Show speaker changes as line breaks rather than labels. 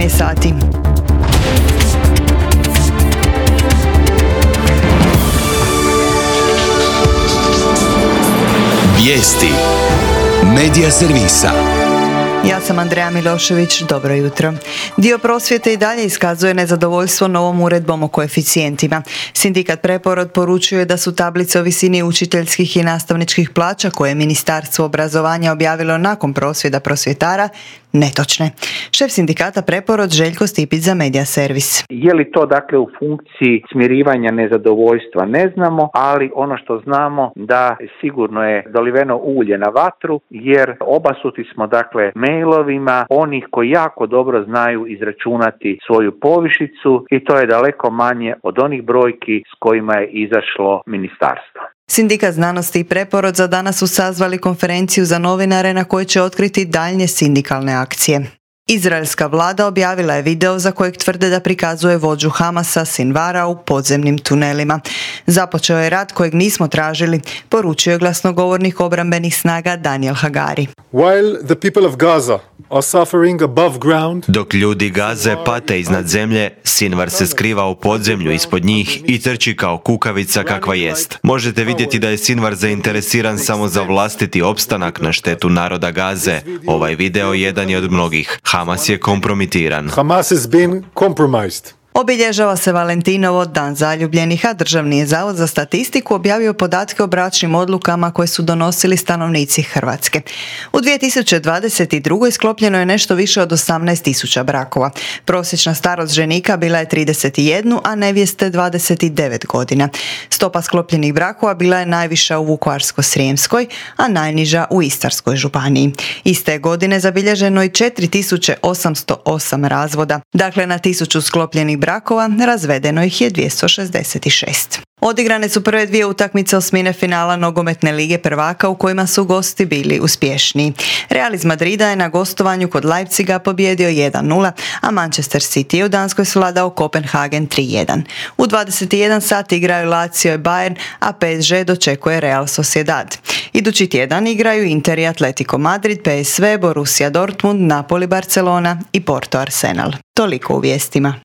je sati.
Vijesti Medija servisa.
Ja sam Andreja Milošević, dobro jutro. Dio prosvjete i dalje iskazuje nezadovoljstvo novom uredbom o koeficijentima. Sindikat Preporod poručuje da su tablice o visini učiteljskih i nastavničkih plaća koje je Ministarstvo obrazovanja objavilo nakon prosvjeda prosvjetara netočne. Šef sindikata Preporod Željko Stipić za Medija servis.
Je li to dakle u funkciji smirivanja nezadovoljstva ne znamo, ali ono što znamo da sigurno je doliveno ulje na vatru, jer obasuti smo dakle mailovima onih koji jako dobro znaju izračunati svoju povišicu i to je daleko manje od onih brojki s kojima je izašlo ministarstvo.
Sindikat znanosti i Preporod za danas su sazvali konferenciju za novinare na kojoj će otkriti daljnje sindikalne akcije. Izraelska vlada objavila je video za kojeg tvrde da prikazuje vođu Hamasa Sinvara u podzemnim tunelima. Započeo je rat kojeg nismo tražili, poručio je glasnogovornik obrambenih snaga Daniel Hagari.
While the people of Gaza are suffering above ground,
dok ljudi Gaze pate iznad zemlje, Sinvar se skriva u podzemlju ispod njih i trči kao kukavica kakva jest. Možete vidjeti da je Sinvar zainteresiran samo za vlastiti opstanak na štetu naroda Gaze. Ovaj video jedan je od mnogih. Hamas je kompromitiran.
Hamas has been compromised.
Obilježava se Valentinovo, dan zaljubljenih, a Državni je zavod za statistiku objavio podatke o bračnim odlukama koje su donosili stanovnici Hrvatske. U 2022. sklopljeno je nešto više od 18.000 brakova. Prosječna starost ženika bila je 31, a nevjeste 29 godina. Stopa sklopljenih brakova bila je najviša u Vukovarsko-srijemskoj, a najniža u Istarskoj županiji. Iste godine zabilježeno i 4.808 razvoda. Dakle, na 1000 sklopljenih brakova razvedeno ih je 266. Odigrane su prve dvije utakmice osmine finala nogometne lige prvaka u kojima su gosti bili uspješniji. Real iz Madrida je na gostovanju kod Leipziga pobjedio 1-0, a Manchester City je u Danskoj svladao Kopenhagen 3-1. U 21 sati igraju Lazio i Bayern, a PSG dočekuje Real Sociedad. Idući tjedan igraju Inter i Atletico Madrid, PSV, Borussia Dortmund, Napoli, Barcelona i Porto Arsenal. Toliko u vijestima.